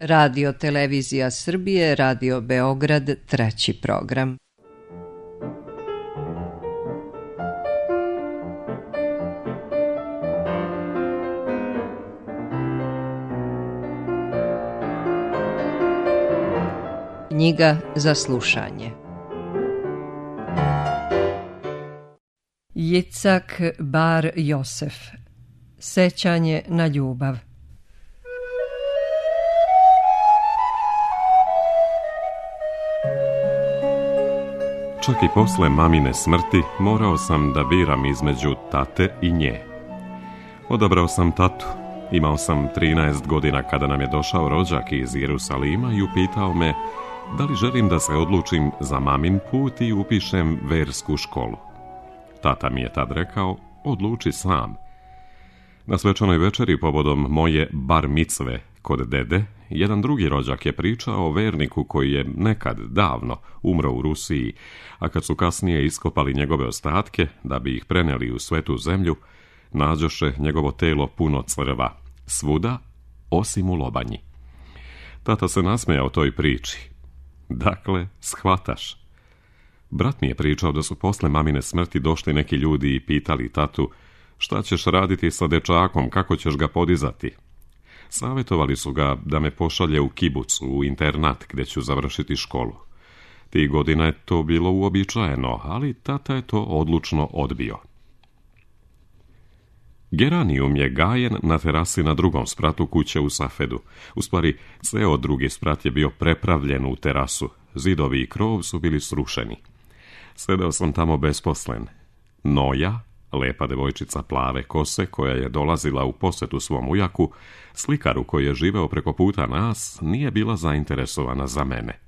Radio Televizija Srbije, Radio Beograd, 3. program. Knjiga za slušanje. Jicak Bar Josef. Sećanje na ljubav. Čak i posle mamine smrti morao sam da biram između tate i nje. Odabrao sam tatu. Imao sam 13 godina kada nam je došao rođak iz Jerusalima i upitao me da li želim da se odlučim za mamin put i upišem versku školu. Tata mi je tad rekao, odluči sam. Na svečanoj večeri povodom moje bar micve kod dede, jedan drugi rođak je pričao o verniku koji je nekad davno umro u Rusiji, a kad su kasnije iskopali njegove ostatke da bi ih preneli u svetu zemlju, nađoše njegovo telo puno crva, svuda osim u lobanji. Tata se nasmejao toj priči. Dakle, shvataš. Brat mi je pričao da su posle mamine smrti došli neki ljudi i pitali tatu šta ćeš raditi sa dečakom, kako ćeš ga podizati. Savjetovali su ga da me pošalje u kibucu, u internat gdje ću završiti školu. Tih godina je to bilo uobičajeno, ali tata je to odlučno odbio. Geranijum je gajen na terasi na drugom spratu kuće u Safedu. U stvari, ceo drugi sprat je bio prepravljen u terasu. Zidovi i krov su bili srušeni. Sedao sam tamo besposlen. Noja, lepa devojčica plave kose koja je dolazila u posjetu svom ujaku, slikaru koji je živeo preko puta nas, nije bila zainteresovana za mene.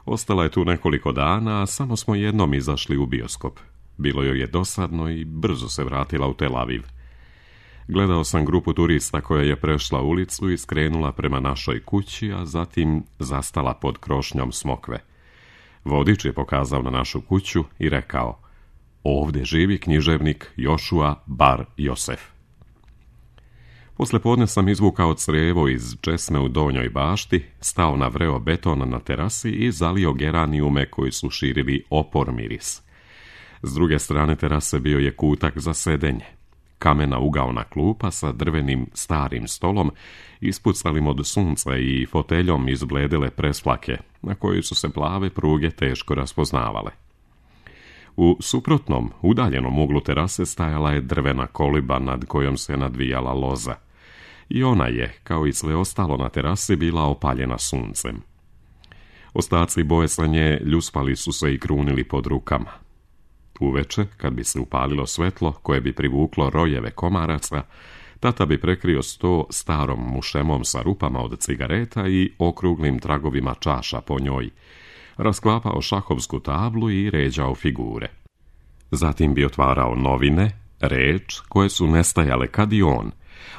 Ostala je tu nekoliko dana, a samo smo jednom izašli u bioskop. Bilo joj je dosadno i brzo se vratila u Tel Aviv. Gledao sam grupu turista koja je prešla ulicu i skrenula prema našoj kući, a zatim zastala pod krošnjom smokve. Vodič je pokazao na našu kuću i rekao, ovdje živi književnik Jošua Bar Josef. Poslepodne sam izvukao crijevo iz česme u donjoj bašti, stao na vreo betona na terasi i zalio geranijume koji su širili opor miris. S druge strane terase bio je kutak za sedenje. Kamena ugaona klupa sa drvenim starim stolom, ispucalim od sunca i foteljom izbledele presplake, na kojoj su se plave pruge teško raspoznavale. U suprotnom, udaljenom uglu terase stajala je drvena koliba nad kojom se nadvijala loza. I ona je, kao i sve ostalo na terasi, bila opaljena suncem. Ostaci boje sa nje ljuspali su se i krunili pod rukama. Uveče, kad bi se upalilo svetlo koje bi privuklo rojeve komaraca, tata bi prekrio sto starom mušemom sa rupama od cigareta i okruglim tragovima čaša po njoj, rasklapao šahovsku tablu i ređao figure. Zatim bi otvarao novine, reč, koje su nestajale kad i on.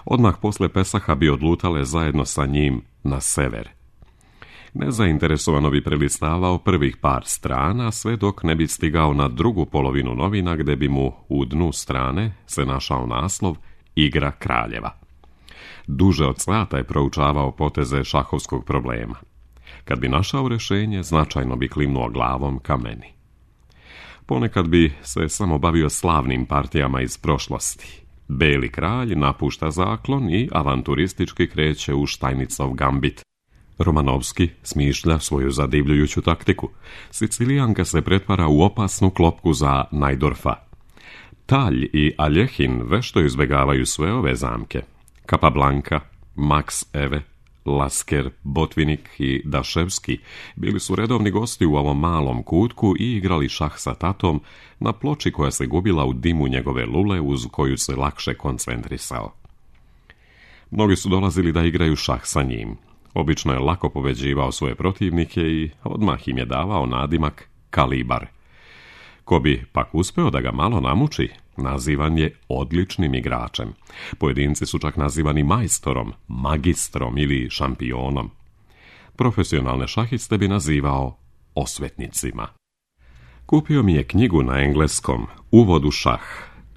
Odmah posle Pesaha bi odlutale zajedno sa njim na sever. Nezainteresovano bi prelistavao prvih par strana, sve dok ne bi stigao na drugu polovinu novina gde bi mu u dnu strane se našao naslov Igra kraljeva. Duže od sata je proučavao poteze šahovskog problema. Kad bi našao rješenje, značajno bi klimnuo glavom ka meni. Ponekad bi se samo bavio slavnim partijama iz prošlosti. Beli kralj napušta zaklon i avanturistički kreće u Štajnicov gambit. Romanovski smišlja svoju zadivljujuću taktiku. Sicilijanka se pretvara u opasnu klopku za Najdorfa. Talj i Aljehin vešto izbjegavaju sve ove zamke. Capablanca, Max Eve, Lasker, Botvinik i Daševski bili su redovni gosti u ovom malom kutku i igrali šah sa tatom na ploči koja se gubila u dimu njegove lule uz koju se lakše koncentrisao. Mnogi su dolazili da igraju šah sa njim. Obično je lako pobeđivao svoje protivnike i odmah im je davao nadimak Kalibar. Ko bi pak uspeo da ga malo namuči, nazivan je odličnim igračem. Pojedinci su čak nazivani majstorom, magistrom ili šampionom. Profesionalne šahiste bi nazivao osvetnicima. Kupio mi je knjigu na engleskom, Uvod u šah,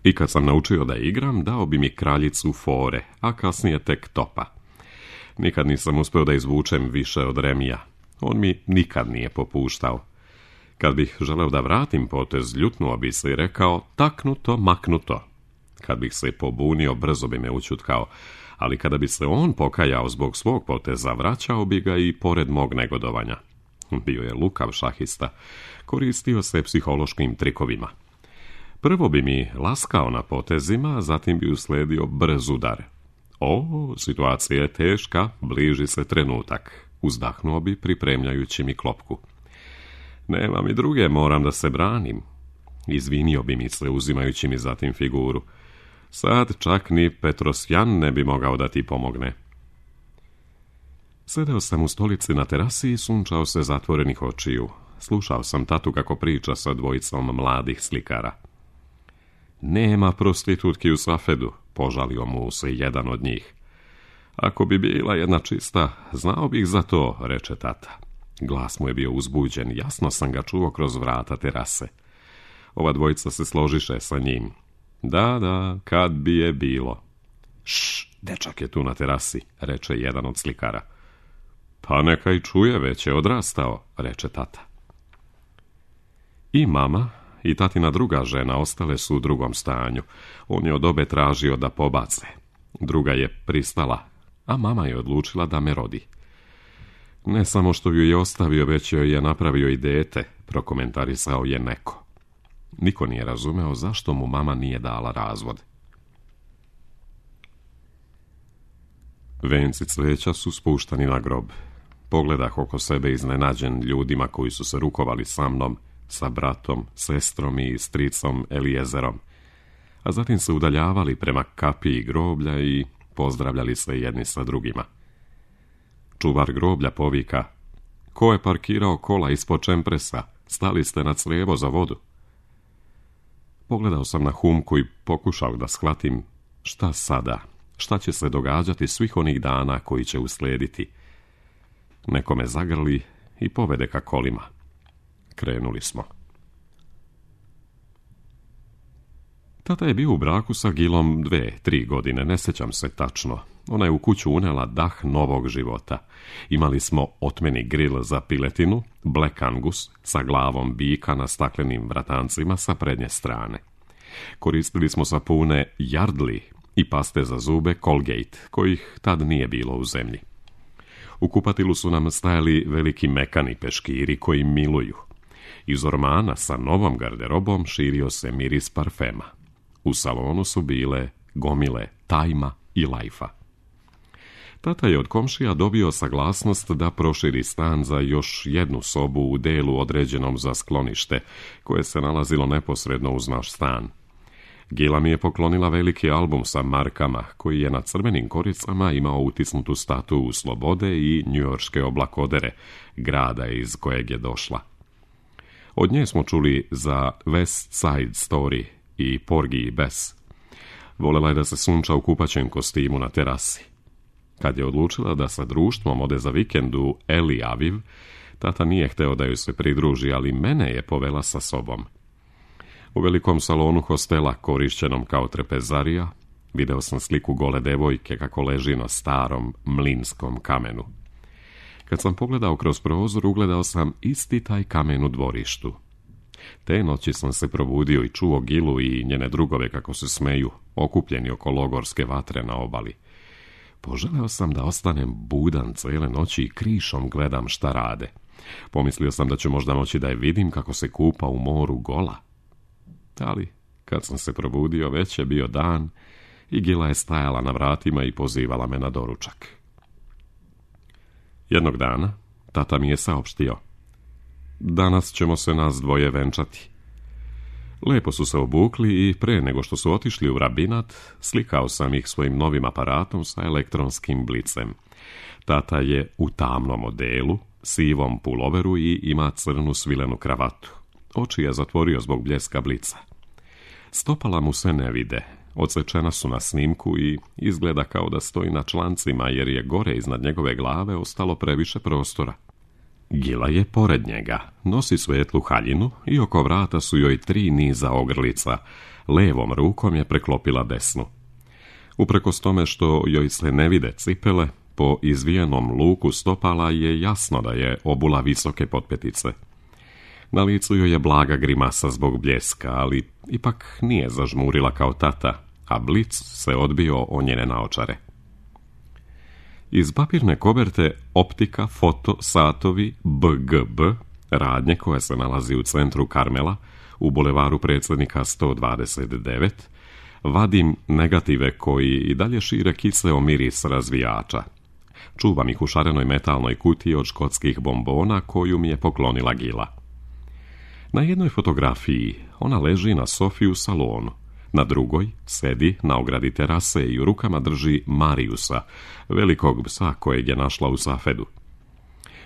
i kad sam naučio da igram, dao bi mi kraljicu fore, a kasnije tek topa. Nikad nisam uspio da izvučem više od Remija. On mi nikad nije popuštao. Kad bih želeo da vratim potez, ljutnuo bi se i rekao taknuto, maknuto. Kad bih se pobunio, brzo bi me ućutkao, ali kada bi se on pokajao zbog svog poteza, vraćao bi ga i pored mog negodovanja. Bio je lukav šahista, koristio se psihološkim trikovima. Prvo bi mi laskao na potezima, zatim bi usledio brz udar. O, situacija je teška, bliži se trenutak. Uzdahnuo bi pripremljajući mi klopku. Nema mi druge, moram da se branim. Izvinio bi mi se uzimajući mi zatim figuru. Sad čak ni Petrosjan ne bi mogao da ti pomogne. Sedeo sam u stolici na terasi i sunčao se zatvorenih očiju. Slušao sam tatu kako priča sa dvojicom mladih slikara. Nema prostitutki u Safedu, požalio mu se jedan od njih. Ako bi bila jedna čista, znao bih za to, reče tata. Glas mu je bio uzbuđen, jasno sam ga čuo kroz vrata terase. Ova dvojica se složiše sa njim. Da, kad bi je bilo. Šš, dečak je tu na terasi, reče jedan od slikara. Pa neka i čuje, već je odrastao, reče tata. I mama i tatina druga žena ostale su u drugom stanju. On je od obe tražio da pobace. Druga je pristala, a mama je odlučila da me rodi. Ne samo što ju je ostavio, već joj je napravio i dete, prokomentarisao je neko. Niko nije razumeo zašto mu mama nije dala razvod. Venci cveća su spuštani na grob. Pogledah oko sebe iznenađen ljudima koji su se rukovali sa mnom, sa bratom, sestrom i stricom Elijezerom, a zatim se udaljavali prema kapiji groblja i pozdravljali se jedni sa drugima. Čuvar groblja povika: ko je parkirao kola ispod čempresa? Stali ste na crijevo za vodu. Pogledao sam na Humku i pokušao da shvatim šta sada, šta će se događati svih onih dana koji će uslijediti. Neko me zagrli i povede ka kolima. Krenuli smo. Tata je bio u braku sa Gilom 2-3 godine, ne sjećam se tačno. Ona je u kuću unela dah novog života. Imali smo otmeni grill za piletinu, Black Angus, sa glavom bika na staklenim vratancima sa prednje strane. Koristili smo sapune Yardley i paste za zube Colgate, kojih tad nije bilo u zemlji. U kupatilu su nam stajali veliki mekani peškiri koji miluju. Iz ormana sa novom garderobom širio se miris parfema. U salonu su bile gomile tajma i lajfa. Tata je od komšija dobio saglasnost da proširi stan za još jednu sobu u delu određenom za sklonište, koje se nalazilo neposredno uz naš stan. Gila mi je poklonila veliki album sa markama, koji je na crvenim koricama imao utisnutu statu slobode i njujorške oblakodere, grada iz kojeg je došla. Od nje smo čuli za West Side Story i Porgy i Bess. Volela je da se sunča u kupaćem kostimu na terasi. Kad je odlučila da sa društvom ode za vikend u Eli Aviv, tata nije hteo da joj se pridruži, ali mene je povela sa sobom. U velikom salonu hostela, korišćenom kao trpezarija, video sam sliku gole devojke kako leži na starom mlinskom kamenu. Kad sam pogledao kroz prozor, ugledao sam isti taj kamen u dvorištu. Te noći sam se probudio i čuo Gilu i njene drugove kako se smeju, okupljeni oko logorske vatre na obali. Poželeo sam da ostanem budan cijele noći i krišom gledam šta rade. Pomislio sam da ću možda moći da je vidim kako se kupa u moru gola. Ali, kad sam se probudio, već je bio dan i Gila je stajala na vratima i pozivala me na doručak. Jednog dana, tata mi je saopštio: danas ćemo se nas dvoje venčati. Lepo su se obukli i pre nego što su otišli u rabinat, slikao sam ih svojim novim aparatom sa elektronskim blicem. Tata je u tamnom odelu, sivom puloveru i ima crnu svilenu kravatu. Oči je zatvorio zbog bljeska blica. Stopala mu se ne vide, odsečena su na snimku i izgleda kao da stoji na člancima jer je gore iznad njegove glave ostalo previše prostora. Gila je pored njega, nosi svetlu haljinu i oko vrata su joj 3 niza ogrlica, levom rukom je preklopila desnu. Uprkos tome što joj se ne vide cipele, po izvijenom luku stopala je jasno da je obula visoke potpetice. Na licu joj je blaga grimasa zbog bljeska, ali ipak nije zažmurila kao tata, a blic se odbio o njene naočare. Iz papirne koverte optika, foto, satovi, BGB, radnje koja se nalazi u centru Karmela, u bulevaru Predsjednika 129, vadim negative koji i dalje šire kiseo miris razvijača. Čuvam ih u šarenoj metalnoj kutiji od škotskih bombona koju mi je poklonila Gila. Na jednoj fotografiji ona leži na sofi u salonu, na drugoj sedi na ogradi terase i u rukama drži Mariusa, velikog psa kojeg je našla u Safedu.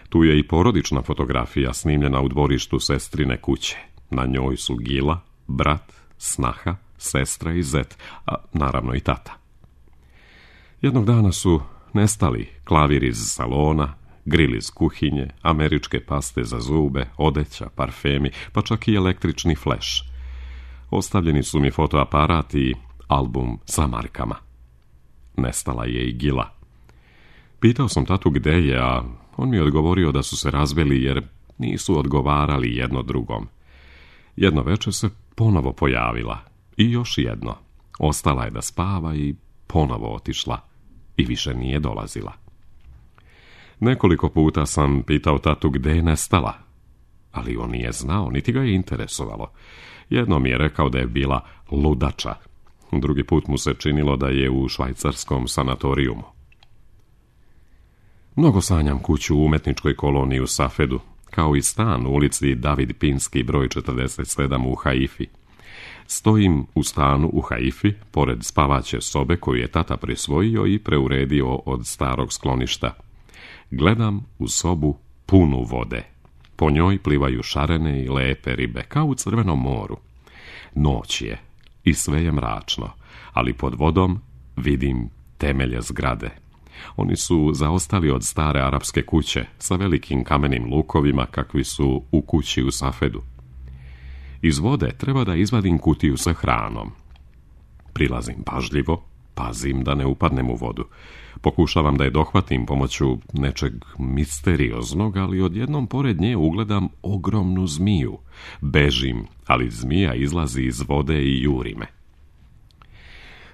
Tu je i porodična fotografija snimljena u dvorištu sestrine kuće. Na njoj su Gila, brat, snaha, sestra i zet, a naravno i tata. Jednog dana su nestali klavir iz salona, gril iz kuhinje, američke paste za zube, odeća, parfemi, pa čak i električni fleš. Ostavljeni su mi fotoaparat i album sa markama. Nestala je i Gila. Pitao sam tatu gde je, a on mi je odgovorio da su se razveli jer nisu odgovarali jedno drugom. Jedno večer se ponovo pojavila i još jedno. Ostala je da spava i ponovo otišla i više nije dolazila. Nekoliko puta sam pitao tatu gde je nestala, ali on nije znao, niti ga je interesovalo. Jednom mi je rekao da je bila ludača. Drugi put mu se činilo da je u švajcarskom sanatorijumu. Mnogo sanjam kuću u umetničkoj koloniji u Safedu, kao i stan u ulici David Pinski broj 47 u Haifi. Stojim u stanu u Haifi, pored spavaće sobe koju je tata prisvojio i preuredio od starog skloništa. Gledam u sobu punu vode. Po njoj plivaju šarene i lepe ribe, kao u Crvenom moru. Noć je i sve je mračno, ali pod vodom vidim temelje zgrade. Oni su zaostali od stare arapske kuće sa velikim kamenim lukovima kakvi su u kući u Safedu. Iz vode treba da izvadim kutiju sa hranom. Prilazim pažljivo, pazim da ne upadnem u vodu. Pokušavam da je dohvatim pomoću nečeg misterioznog, ali odjednom pored nje ugledam ogromnu zmiju. Bežim, ali zmija izlazi iz vode i juri me.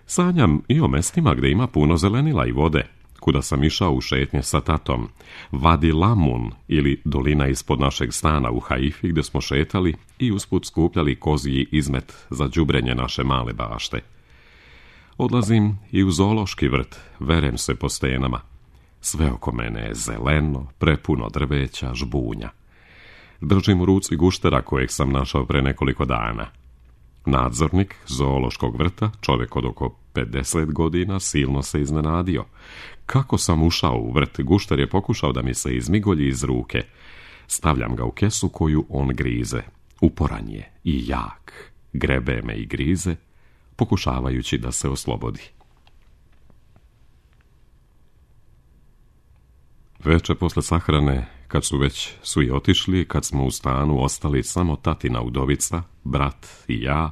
Sanjam i o mestima gde ima puno zelenila i vode, kuda sam išao u šetnje sa tatom. Vadi Lamun, ili dolina ispod našeg stana u Haifi, gde smo šetali i usput skupljali kozji izmet za đubrenje naše male bašte. Odlazim i u zoološki vrt, verem se po stenama. Sve oko mene je zeleno, prepuno drveća, žbunja. Držim u ruci guštera kojeg sam našao pre nekoliko dana. Nadzornik zoološkog vrta, čovjek od oko 50 godina, silno se iznenadio. Kako sam ušao u vrt, gušter je pokušao da mi se izmigolji iz ruke. Stavljam ga u kesu koju on grize. Uporan je i jak. Grebe me i grize, pokušavajući da se oslobodi. Veče posle sahrane, kad su već svi otišli, kad smo u stanu ostali samo tatina udovica, brat i ja,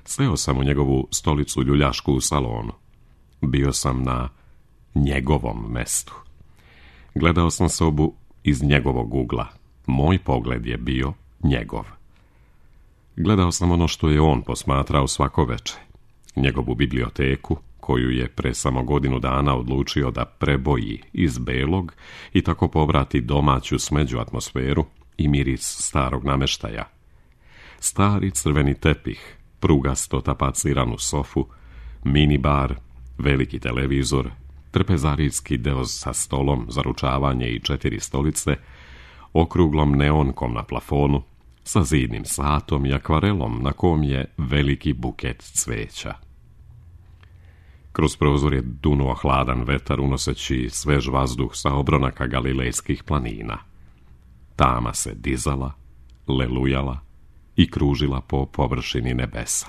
seo sam u njegovu stolicu ljuljašku u salonu. Bio sam na njegovom mestu. Gledao sam sobu iz njegovog ugla. Moj pogled je bio njegov. Gledao sam ono što je on posmatrao svako veče. Njegovu biblioteku, koju je pre samo godinu dana odlučio da preboji iz belog i tako povrati domaću smeđu atmosferu i miris starog nameštaja. Stari crveni tepih, prugasto tapaciranu sofu, mini bar, veliki televizor, trpezarijski deo sa stolom za ručavanje i 4 stolice, okruglom neonkom na plafonu, sa zidnim satom i akvarelom na kom je veliki buket cveća. Kroz prozor je dunuo hladan vetar unoseći svež vazduh sa obronaka galilejskih planina. Tama se dizala, lelujala i kružila po površini nebesa.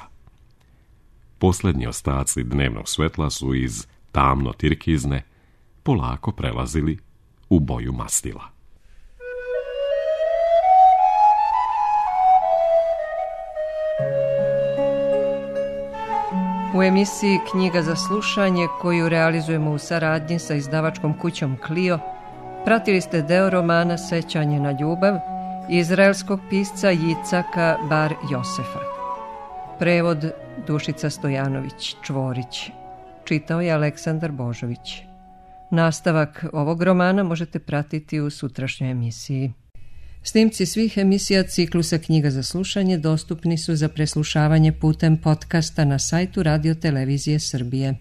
Posljednji ostaci dnevnog svetla su iz tamno tirkizne polako prelazili u boju mastila. U emisiji Knjiga za slušanje, koju realizujemo u saradnji sa izdavačkom kućom Clio, pratili ste deo romana Sećanje na ljubav izraelskog pisca Jicaka Bar Josefa. Prevod Dušica Stojanović Čvorić. Čitao je Aleksandar Božović. Nastavak ovog romana možete pratiti u sutrašnjoj emisiji. Snimci svih emisija ciklusa Knjiga za slušanje dostupni su za preslušavanje putem podcasta na sajtu Radio Televizije Srbije.